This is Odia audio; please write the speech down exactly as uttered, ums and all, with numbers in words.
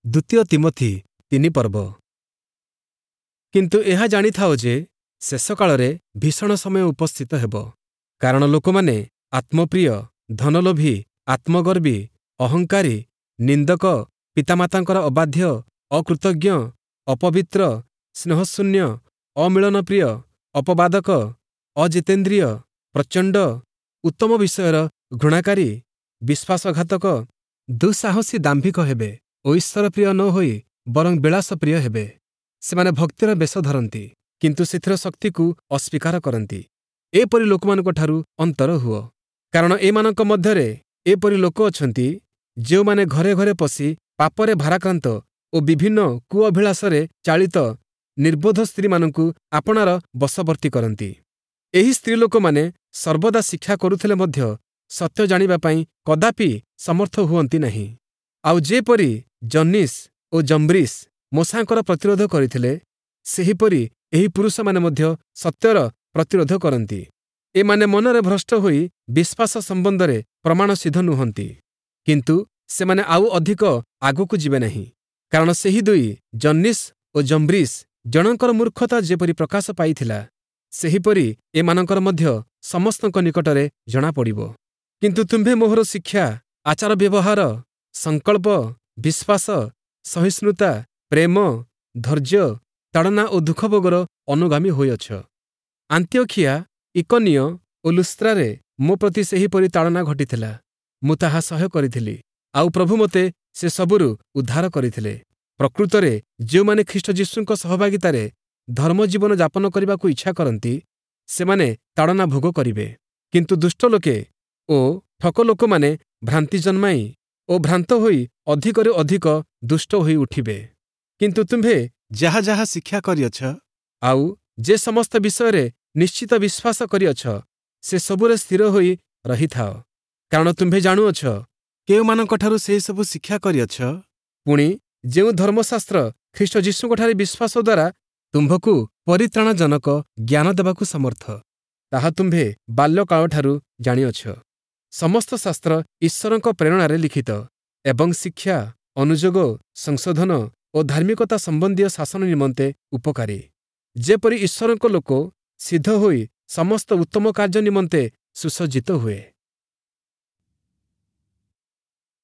ଦ୍ୱିତୀୟ ତୀମଥି ତିନି ପର୍ବ। କିନ୍ତୁ ଏହା ଜାଣିଥାଅ ଯେ ଶେଷ କାଳରେ ଭୀଷଣ ସମୟ ଉପସ୍ଥିତ ହେବ। କାରଣ ଲୋକମାନେ ଆତ୍ମପ୍ରିୟ, ଧନଲୋଭୀ, ଆତ୍ମଗର୍ବୀ, ଅହଙ୍କାରୀ, ନିନ୍ଦକ, ପିତାମାତାଙ୍କର ଅବାଧ୍ୟ, ଅକୃତଜ୍ଞ, ଅପବିତ୍ର, ସ୍ନେହଶୂନ୍ୟ, ଅମିଳନପ୍ରିୟ, ଅପବାଦକ, ଅଜିତେନ୍ଦ୍ରିୟ, ପ୍ରଚଣ୍ଡ, ଉତ୍ତମ ବିଷୟର ଘୃଣାକାରୀ, ବିଶ୍ୱାସଘାତକ, ଦୁଃସାହସୀ ଦାମ୍ଭିକ ହେବେ ଓ ଈଶ୍ୱରପ୍ରିୟ ନ ହୋଇ ବରଂ ବିଳାସପ୍ରିୟ ହେବେ। ସେମାନେ ଭକ୍ତିର ବେଶ ଧରନ୍ତି, କିନ୍ତୁ ସେଥିର ଶକ୍ତିକୁ ଅସ୍ୱୀକାର କରନ୍ତି। ଏପରି ଲୋକମାନଙ୍କଠାରୁ ଅନ୍ତର ହୁଅ। କାରଣ ଏମାନଙ୍କ ମଧ୍ୟରେ ଏପରି ଲୋକ ଅଛନ୍ତି, ଯେଉଁମାନେ ଘରେ ଘରେ ପଶି ପାପରେ ଭାରାକ୍ରାନ୍ତ ଓ ବିଭିନ୍ନ କୁଅଭିଳାଷରେ ଚାଳିତ ନିର୍ବୋଧ ସ୍ତ୍ରୀମାନଙ୍କୁ ଆପଣାର ବଶବର୍ତ୍ତୀ କରନ୍ତି। ଏହି ସ୍ତ୍ରୀଲୋକମାନେ ସର୍ବଦା ଶିକ୍ଷା କରୁଥିଲେ ମଧ୍ୟ ସତ୍ୟ ଜାଣିବା ପାଇଁ କଦାପି ସମର୍ଥ ହୁଅନ୍ତି ନାହିଁ। ଆଉ ଯେପରି ଯନ୍ନିସ୍ ଓ ଯମ୍ବ୍ରିସ୍ ମୋଶାଙ୍କର ପ୍ରତିରୋଧ କରିଥିଲେ, ସେହିପରି ଏହି ପୁରୁଷମାନେ ମଧ୍ୟ ସତ୍ୟର ପ୍ରତିରୋଧ କରନ୍ତି। ଏମାନେ ମନରେ ଭ୍ରଷ୍ଟ ହୋଇ ବିଶ୍ୱାସ ସମ୍ବନ୍ଧରେ ପ୍ରମାଣସିଦ୍ଧ ନୁହନ୍ତି। କିନ୍ତୁ ସେମାନେ ଆଉ ଅଧିକ ଆଗକୁ ଯିବେ ନାହିଁ। କାରଣ ସେହି ଦୁଇ ଯନ୍ନିସ୍ ଓ ଯମ୍ବ୍ରିସ୍ ଜଣଙ୍କର ମୂର୍ଖତା ଯେପରି ପ୍ରକାଶ ପାଇଥିଲା, ସେହିପରି ଏମାନଙ୍କର ମଧ୍ୟ ସମସ୍ତଙ୍କ ନିକଟରେ ଜଣାପଡ଼ିବ। କିନ୍ତୁ ତୁମ୍ଭେ ମୋହର ଶିକ୍ଷା, ଆଚାର ବ୍ୟବହାର, ସଂକଳ୍ପ, ବିଶ୍ୱାସ, ସହିଷ୍ଣୁତା, ପ୍ରେମ, ଧୈର୍ଯ୍ୟ, ତାଡ଼ନା ଓ ଦୁଃଖଭୋଗର ଅନୁଗାମୀ ହୋଇଅଛ। ଆନ୍ତିଓଖିଆ, ଇକନିୟ ଓ ଲୁସ୍ତ୍ରାରେ ମୋ ପ୍ରତି ସେହିପରି ତାଡ଼ନା ଘଟିଥିଲା। ମୁଁ ତାହା ସହ୍ୟ କରିଥିଲି, ଆଉ ପ୍ରଭୁ ମୋତେ ସେ ସବୁରୁ ଉଦ୍ଧାର କରିଥିଲେ। ପ୍ରକୃତରେ ଯେଉଁମାନେ ଖ୍ରୀଷ୍ଟ ଯୀଶୁଙ୍କ ସହଭାଗିତାରେ ଧର୍ମଜୀବନ ଯାପନ କରିବାକୁ ଇଚ୍ଛା କରନ୍ତି, ସେମାନେ ତାଡ଼ନା ଭୋଗ କରିବେ। କିନ୍ତୁ ଦୁଷ୍ଟ ଲୋକେ ଓ ଠକ ଲୋକମାନେ ଭ୍ରାନ୍ତି ଜନ୍ମାଇ ଓ ଭ୍ରାନ୍ତ ହୋଇ ଅଧିକରୁ ଅଧିକ ଦୁଷ୍ଟ ହୋଇ ଉଠିବେ। କିନ୍ତୁ ତୁମ୍ଭେ ଯାହା ଯାହା ଶିକ୍ଷା କରିଅଛ, ଆଉ ଯେ ସମସ୍ତ ବିଷୟରେ ନିଶ୍ଚିତ ବିଶ୍ୱାସ କରିଅଛ, ସେ ସବୁରେ ସ୍ଥିର ହୋଇ ରହିଥାଅ। କାରଣ ତୁମ୍ଭେ ଜାଣୁଅଛ, କେଉଁମାନଙ୍କଠାରୁ ସେହିସବୁ ଶିକ୍ଷା କରିଅଛ, ପୁଣି ଯେଉଁ ଧର୍ମଶାସ୍ତ୍ର ଖ୍ରୀଷ୍ଟ ଯୀଶୁଙ୍କଠାରେ ବିଶ୍ୱାସ ଦ୍ୱାରା ତୁମ୍ଭକୁ ପରିତ୍ରାଣଜନକ ଜ୍ଞାନ ଦେବାକୁ ସମର୍ଥ, ତାହା ତୁମ୍ଭେ ବାଲ୍ୟକାଳଠାରୁ ଜାଣିଅଛ। ସମସ୍ତ ଶାସ୍ତ୍ର ଈଶ୍ୱରଙ୍କ ପ୍ରେରଣାରେ ଲିଖିତ ଏବଂ ଶିକ୍ଷା, ଅନୁଯୋଗ, ସଂଶୋଧନ ଓ ଧାର୍ମିକତା ସମ୍ବନ୍ଧୀୟ ଶାସନ ନିମନ୍ତେ ଉପକାରୀ, ଯେପରି ଈଶ୍ୱରଙ୍କ ଲୋକ ସିଦ୍ଧ ହୋଇ ସମସ୍ତ ଉତ୍ତମ କାର୍ଯ୍ୟ ନିମନ୍ତେ ସୁସଜ୍ଜିତ ହୁଏ।